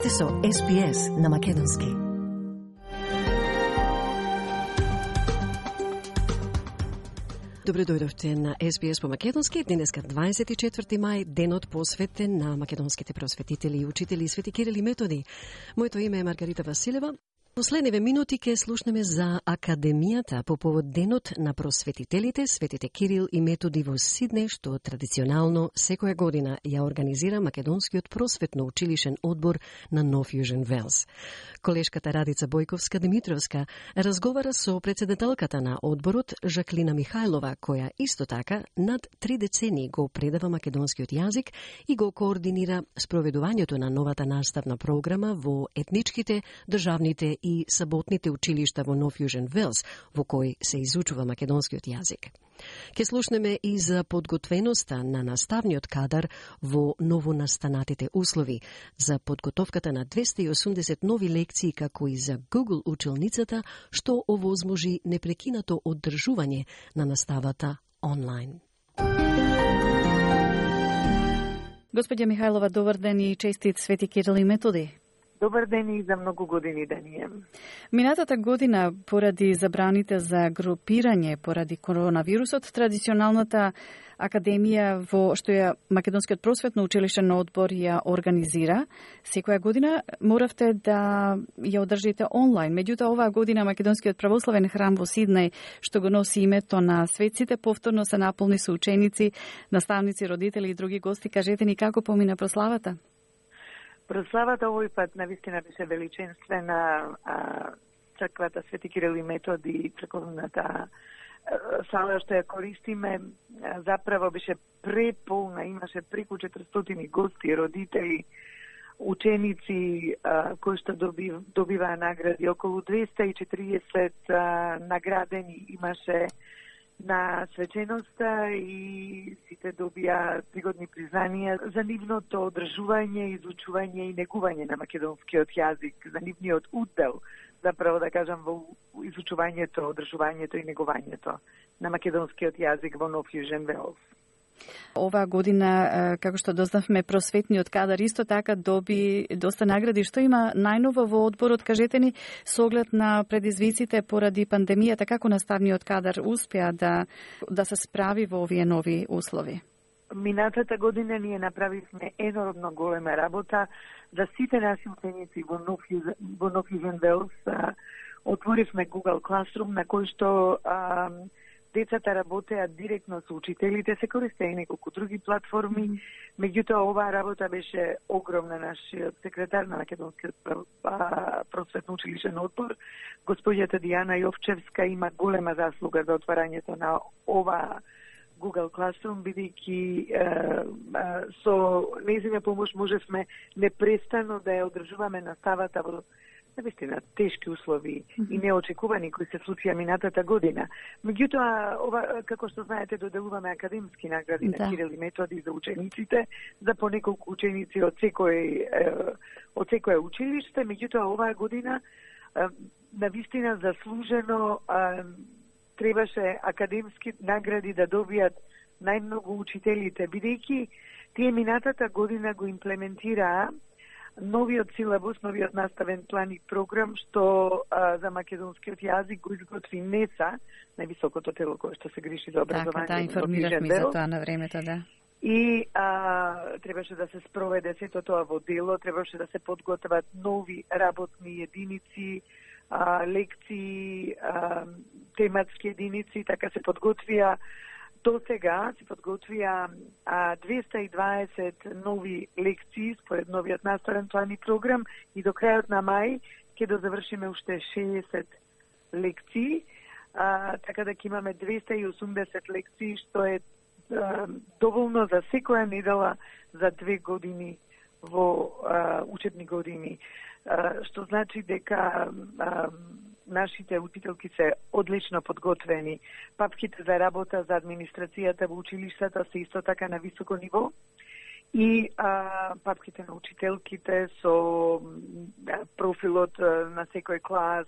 Сте со SPS на македонски. Добре дојдовте на SPS по македонски. Денеска 24 мај, денот посветен на македонските просветители и учители Свети Кирил и Методи. Моето име е Маргарита Василева. Последниве минути ке слушнеме за Академијата по повод денот на просветителите Светите Кирил и Методи во Сиднеј, што традиционално секоја година ја организира Македонскиот просветно училишен одбор на Нов Јужен Велс. Колешката Радица Бојковска-Димитровска разговара со председателката на одборот Жаклина Михајлова, која исто така над 3 децении го предава македонскиот јазик и го координира спроведувањето на новата наставна програма во етничките, државните и саботните училишта во Нов Јужен Велс, во кој се изучува македонскиот јазик. Ке слушнеме и за подготвеноста на наставниот кадар во новонастанатите услови, за подготовката на 280 нови лекции, како и за Google училницата, што овозможи непрекинато оддржување на наставата онлайн. Господја Михајлова, добар ден и честит Свети Кирил и Методи. Добар ден и за многу години да ни е. Минатата година, поради забраните за групирање поради коронавирусот, традиционалната академија во што ја Македонскиот просветно училишен одбор ја организира, секоја година моравте да ја одржите онлайн. Меѓутоа, оваа година Македонскиот православен храм во Сиднеј, што го носи името на светците, повторно се наполни со ученици, наставници, родители и други гости. Кажете ни како помина прославата? Прославата овој пат навистина беше величенствена. Црквата Свети Кирил и Методи, црковната сала што ја користиме, заправо беше преполна, имаше преку 400 гости, родители, ученици кои што добиваа награди, околу 240 наградени имаше на свеченоста и сите добија пригодни признанија за нивното одржување, изучување и негување на македонскиот јазик, за нивниот удел, заправо да кажам, во изучувањето, одржувањето и негувањето на македонскиот јазик во Нов Јужен Велс. Оваа година, како што дознавме, просветниот кадар исто така доби доста награди. Што има најново во одборот? Кажете ни, со оглед на предизвиците поради пандемијата, како наставниот кадар успеа да се справи во овие нови услови? Минатата година ние направивме енормно голема работа за сите наши ученици во Нов Јужен Велс. Отворивме Google Classroom на кој што децата работеа директно со учителите, се користеа и неколку други платформи, меѓутоа оваа работа беше огромна. Нашиот секретар на Македонскиот просветно училишен одбор, господјата Дијана Јовчевска, има голема заслуга за отварањето на оваа Google Classroom, бидејќи со нејзина помош можевме непрестано да ја одржуваме наставата во навистина тешки услови и неочекувани кои се случија минатата година. Меѓутоа, ова, како што знаете, доделуваме академски награди на Кирил и Методи за учениците, за по неколку ученици од секое училиште. Меѓутоа, оваа година навистина заслужено требаше академски награди да добијат најмногу учителите, бидејќи тие минатата година го имплементираа новиот силабус, новиот наставен план и програм што за македонскиот јазик го изготви НЕСА, највисокото тело кое што се грижи за образование. Така, информиравме за тоа на времето, да. И требаше да се спроведе сето тоа во дело, требаше да се подготват нови работни единици, лекции, тематски единици, така се подготвија. До сега се подготвија 220 нови лекции според новиот наставен план и програм и до крајот на мај ќе дозавршиме уште 60 лекции, така да ќе имаме 280 лекции, што е доволно за секоја недела за 2 години во учебни години, што значи дека нашите учителки се одлично подготвени. Папките за работа за администрацијата во училиштата се исто така на високо ниво и папките на учителките со профилот на секој клас,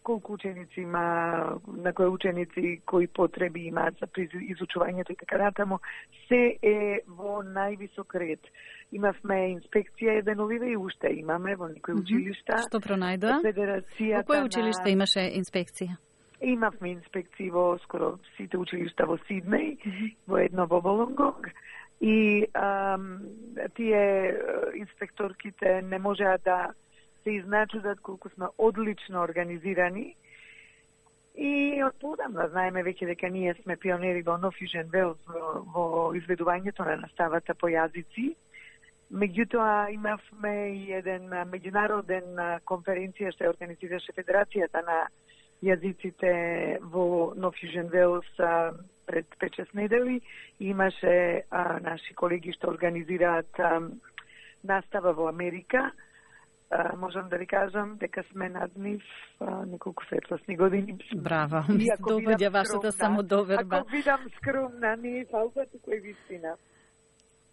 колку ученици има, на кои ученици, кои потреби имаат за изучувањето и така натаму, се е во највисок ред. Имавме инспекција еденовива и уште имаме во некои училишта. Што пронајдоа? Федерацијата. Во кој училиште имаше инспекција? Имавме инспекции во скоро сите училишта во Сиднеј, во едно во Волонгонг. И тие инспекторките не можеа да се изначудат колку сме одлично организирани. И од подамна знаеме веќе дека ние сме пионери во No Fusion Wales во изведувањето на наставата по јазици. Меѓутоа имавме и еден меѓународен конференција што ја организираше Федерацијата на јазиците во No Fusion Wales пред 5-6 недели. Имаше наши колеги што организираат настава во Америка. Можам да ви кажам дека сме над нив неколку светлосни години. Браво, ми се довоѓа вашата самодоверба. Ако видам скромна, не е фалба, туку е вистина.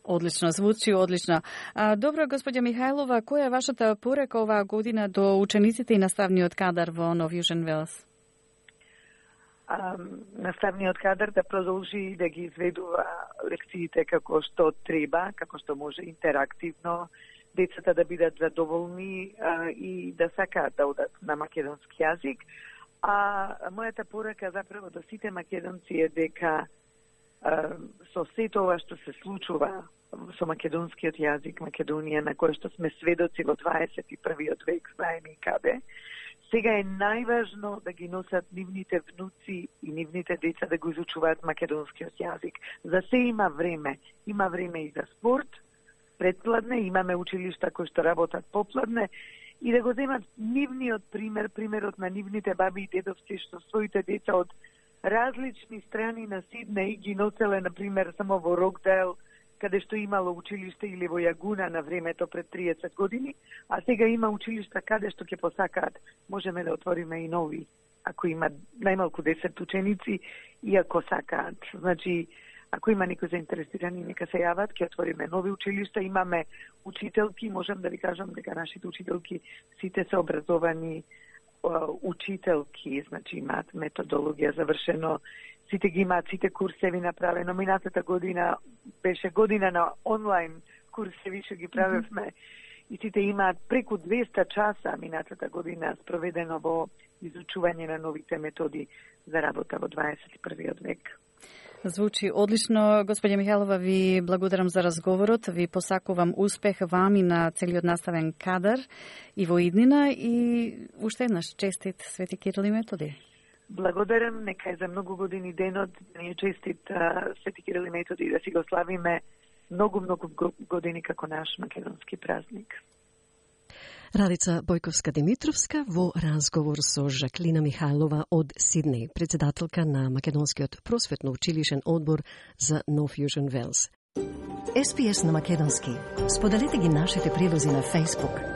Одлично, звучи одлично. Добро, господја Михајлова, која е вашата порека оваа година до учениците и наставниот кадар во No Fusion Wales? Наставниот кадар да продолжи да ги изведува лекциите како што треба, како што може интерактивно, децата да бидат задоволни и да сакаат да одат на македонски јазик. Мојата порека заправо до сите македонци е дека со сето ова што се случува со македонскиот јазик, Македонија, на кој што сме сведоци во 21. век, знаеме и каде, сега е најважно да ги носат нивните внуци и нивните деца да го изучуваат македонскиот јазик. За се има време. Има време и за спорт, предпладне, имаме училишта кои што работат попладне, и да го земат нивниот пример, примерот на нивните баби и дедовци што своите деца од различни страни на Сиднеј ги носеле, например, само во Рокдейл, каде што имало училиште, или во Јагуна на времето пред 30 години, а сега има училишта каде што ќе посакаат. Можеме да отвориме и нови, ако има најмалку 10 ученици и ако сакаат. Значи, ако има некои заинтересирани, нека се јават, ќе отвориме нови училишта. Имаме учителки, можам да ви кажам дека нашите учителки сите се образовани учителки, значи имаат методологија завршено, сите ги имаат, сите курсеви направено. Минатата година беше година на онлайн курсеви што ги правевме и сите имаат преку 200 часа минатата година спроведено во изучување на новите методи за работа во 21. век. Звучи одлично. Господја Михајлова, ви благодарам за разговорот. Ви посакувам успех вам и на целиот наставен кадар и во иднина, и уште еднаш честит Свети Кирил и Методи. Благодарам, нека е за многу години денот, ни е честит Свети Кирил и Методи, да си го славиме многу години како наш македонски празник. Радица Бојковска-Димитровска во разговор со Жаклина Михајлова од Сиднеј, председателка на Македонскиот просветно-училишен одбор за No Fusion Wales. SPS на македонски. Споделете ги нашите прилози на Facebook.